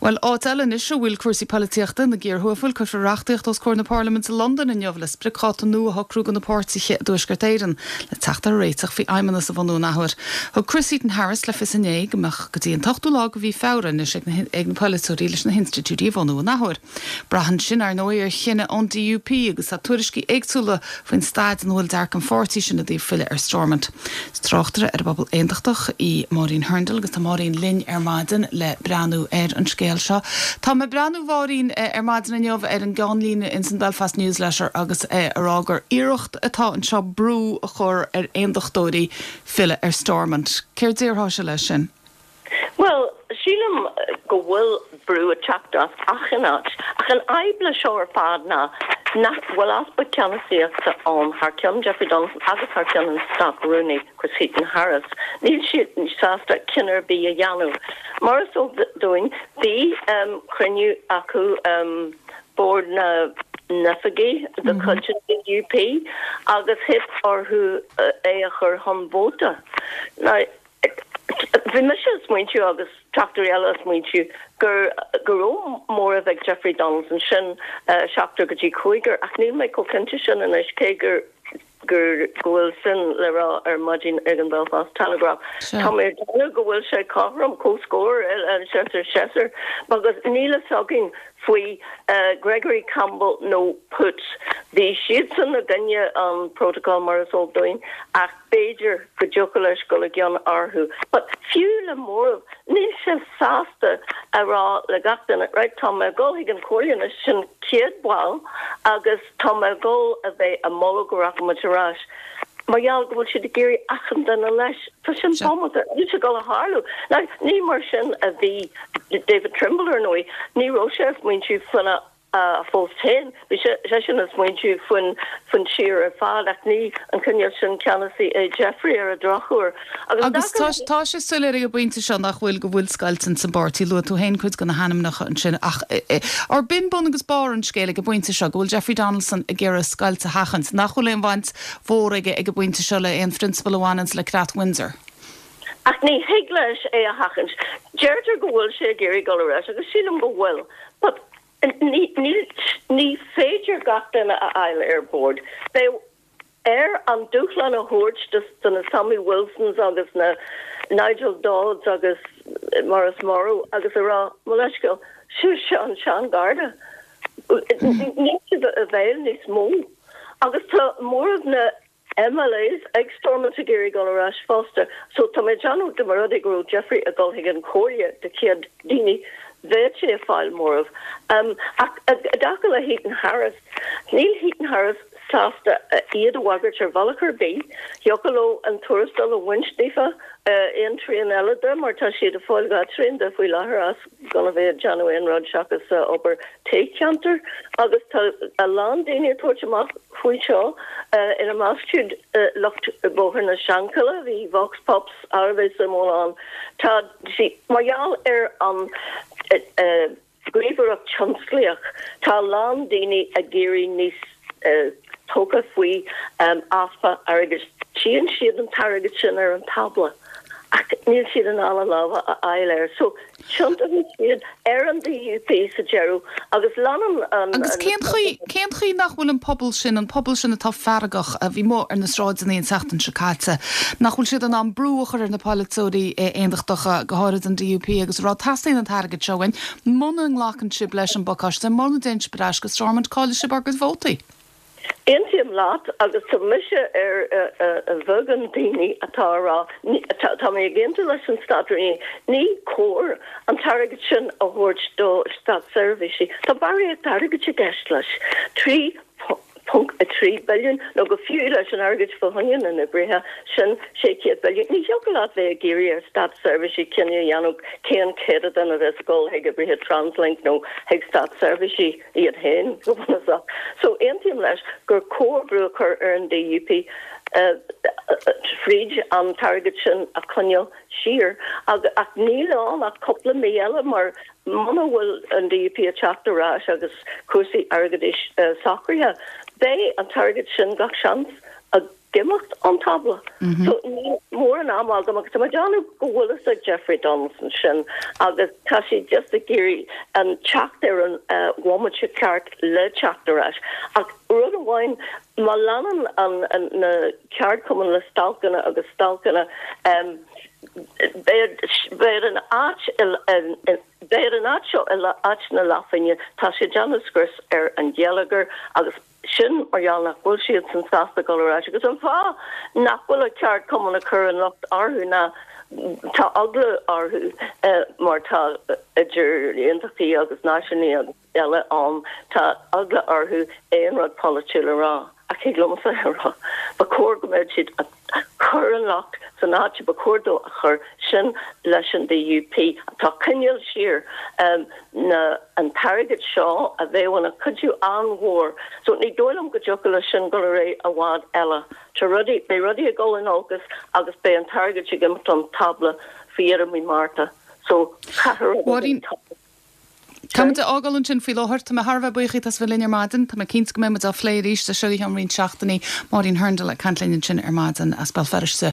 Bhuel, áit eile anois a bhfuil cúrsaí polaitíochta ina gcíor thuafail, cuirfear reachtaíocht os comhair na Parlaiminte i Londain inniu le spriocdháta nua a shocrú do na páirtithe i dTuaisceart Éireann le teacht ar réiteach faoi fheidhmeannas a bhunú an athuair. Thug Chris Heaton-Harris le fios inné go mbeadh go dtí an t-ochtú lá de mhí Feabhra anois ag na polaiteoirí leis na hinstitiúidí a bhunú an athuair. Braitheann sin, ar ndóigh, ar chinneadh ón DUP agus tá tuairiscí éagsúla faoin staid ina bhfuil dearcadh an pháirtí sin i dtaobh filleadh ar Stormont. Is tráchtaire ar an bpobal aontachtach í Máirín Hurndall agus tá Máirín linn ar maidin le breathnú ar an scéal seo. Tá mé ag breathnú, a Mháirín, ar maidin inniu ar an gceannlíne ins an Belfast News Letter agus é ag rá gur iarracht atá anseo brú a chur ar aondachtóirí filleadh ar Stormont. Céard déarfása leis sin? Bhuel, sílim go bhfuil brú ag teacht as achan áit, ach an fhadhb le seo ar fad ná nach bhfuil easpa ceannasaíochta ann thar ceann Jeffrey Donaldson agus thar ceann an Stát-Rúnaí Chris Heaton-Harris. Níl siad sásta cinneadh ar bith a dhéanamh. Mar is eol dúinn, bhí cruinniú acu, Bord na nOifigí de chuid an DUP, agus theip orthu é a chur chun vóta. Now, Bhí mise ag smaointiú agus tráchtairí eile ag smaointiú gur go raibh móramh ag Jeffrey Donaldson, sin seachtar go dtí cúigear, ach níl mé chomh cinnte sin anois, cé gur gur go bhfuil sin le rá ar maidin ag an Belfast Telegraph. Tá mé ag déanamh go bhfuil sé cothrom, comhscór, seisear seisear, agus níl a fhios againn faoi Gregory Campbell nó Poots. Bhí siadsan i gcoinne an protocol mar is eol dúinn, ach. B'fhéidir go dtiocfadh leis dul i gcion orthu. But fiú le móramh, níl sé sásta a rá le gach duine, right, tá mé ag dul chuig an Chomhairle anois, sin 100 ball, agus tá mé ag dul a bheith ag moladh go rachaidh muid ar ais. Mar gheall go bhfuil siad ag iarraidh achan duine leis. Tá sin bómanta. Níl sé ag dul a tharlú. Now, ní mar sin a bhí David Trimble, ar ndóigh. Ní raibh sé ag smaointiú faoina a phost féin. Bhí seisean ag smaointiú faoin tír ar fad ach ní an cineál sin ceannasaí é Jeffrey ar an drochuair. Agus tá sé soiléir ag an bpointe seo nach bhfuil, go bhfuil scoilt ins an bpáirtí. Luaigh tú féin cuid de na hainmneacha ansin ach ar b'in bun agus barr an scéil ag an bpointe seo, go bhfuil Jeffrey Donaldson ag iarraidh scoilt a sheachaint, nach bhfuil aon bhaint mhór aige ag an bpointe seo le aon phrionsabal a bhaineanns le Creat Windsor. Ach ní thig leis é a sheachaint. Deirtear go bhfuil sé ag iarraidh dul ar ais agus sílim go bhfuil but Ní, ní féidir gach duine a fháil ar bord. Beidh air an dúshlán a thabhairt do na Sammy Wilsons agus na Nigel Dodds agus mar is marbh agus a rá, mo leithscéal, sibhse an seangharda. Níl sibh i bhfeidhm níos mó. Agus tá móramh na. MLAs ag Stormont ag iarraidh dul ar ais fosta. So tá mé ag déanamh dá mba rud é go raibh Jeffrey ag dul chuig an chomhairle de 100 daoine, bheadh sé ag fáil móramh. Ach i dtaca le Heaton Harris, níl Heaton Harris sásta iad a bhagairt ar bhealach ar bith. Thiocfadh leo an tuarastal a bhaint daofa, aon trian eile de, mar tá siad ag fáil dhá trian de faoi láthair as gan a bheith ag déanamh aon rud seachas obair toghcheantair agus tá a lán daoine ag tabhairt amach faoi seo, ina measc siúd lucht Bhóthar na Seanchille, bhí vox pops thar a bheith suimiúil ann. Tá sí, mar gheall ar an ghníomhaireacht tionsclaíoch, tá a lán daoine ag éirí níos tógtha faoi easpa airgid. Tchíonn siad an t-airgead sin ar an tábla ach níl siad in ann a lámha a fháil air. So, tiontóidh siad ar an DUP sa deireadh agus leanann an. Agus cén chaoi, cén chaoi nach bhfuil an pobal sin, an pobal sin atá feargach, a bhí amuigh ar na sráideanna an tseachtain seo caite, nach bhfuil siad in ann brú a chur ar na polaiteoirí aontachtacha, go háirid an DUP, agus a rá teastaíonn an t-airgead seo uainn, Muna nglacann sibh leis an bpacáiste, muna dtéann sibh ar ais go Stormont, caillfidh sibh ár gcuid vótaí. Aontaím leat agus tá mise ar an bheagán daoine atá a rá, tá mé ag aontú leis an Státrúnaí, ní cóir an t-airgead sin a thabhairt do státseirbhísigh. Tá barraíocht airgid i gceist leis. 3.3 billiún, nó go fiú leis an airgead fá choinne na n-oibrithe, sin 600 billiún. Ní thiocfadh leat bheith ag iarraidh ar státseirbhísigh cinneadh a dhéanamh cén céatadán a bheas ag dul chuig oibrithe Translink nó chuig státseirbhísigh iad féin, go bunúsach. So, aontaím leis gur cóir brú a chur ar an DUP fríd an t-airgead sin a choinneáil siar. Ach níl ann ach cúpla mí eile mar muna bhfuil an DUP ag teacht ar ais agus cúrsaí airgeadais socraithe, beidh an t-airgead sin gach seans ag. Ag imeacht ón tábla. So níl mórán ama agam agus tá mé ag déanamh go bhfuil fhios ag Jeffrey Donaldson sin agus tá sé just ag iarraidh an teacht ar an bhomaite ceart le teacht ar ais. Ach rud amháin, má leanann an na ceardchumainn le stailceanna agus stailceanna, beidh beidh an áit beidh an áit seo i áit na leathphingine, tá sé ag déanamh scrios ar an gheilleagar agus Sin mar gheall nach bhfuil siadsan sásta dul ar ais. Agus an fáth nach bhfuil an ceardchumann ag cur an locht orthu ná tá eagla orthu mar tá idir aontachtaí agus náisiúnaí agus eile ann, tá eagla orthu aon rud polaitiúil a rá. Ach thig liomsa a rá, ba chóir go mbeadh siad ag cur an locht san áit a ba chóir dó a chur, sin leis an DUP atá ag coinneáil siar na an t-airgead seo a bheadh ina chuidiú an-mhór. So ní dóigh liom go dtiocfadh leis sin dul ar aghaidh i bhfad eile. Tá rudaí, beidh rudaí ag dul in olcas agus beidh an t-airgead ag imeacht ón tábla faoi dheireadh mí Márta. So caithfidh rud éigin tarlú. Tá muid á fhágáil ansin faoi láthair. Tá mé thar a bheith buíoch díot as a bheith linn ar maidin. Tá mé cinnte go mbeidh muid á phlé arís as seo go ceann roinnt seachtainí. Máirín Hurndall ag caint linn ansin ar maidin as Béal Feirste.